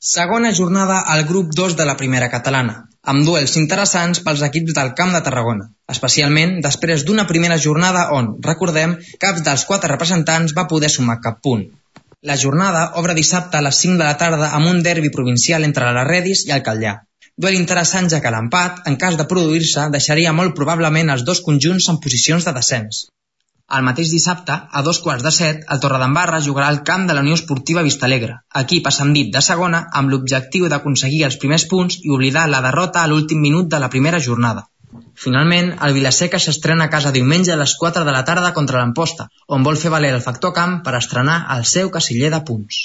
Segona jornada al grup 2 de la primera catalana, amb duels interessants pels equips del Camp de Tarragona, especialment després d'una primera jornada on, recordem, cap dels 4 representants va poder sumar cap punt. La jornada obre dissabte a les 5 de la tarda amb un derbi provincial entre la Redis i el Catllar. Duel interessant ja que l'empat, en cas de produir-se, deixaria molt probablement els dos conjunts en posicions de descens. El mateix dissabte, a 6:15, el Torredembarra jugarà al camp de la Unió Esportiva Vistalegre, equip ascendit de segona amb l'objectiu d'aconseguir els primers punts i oblidar la derrota a l'últim minut de la primera jornada. Finalment, el Vilaseca s'estrena a casa diumenge a les 4 de la tarda contra l'Amposta, on vol fer valer el factor camp per estrenar el seu casiller de punts.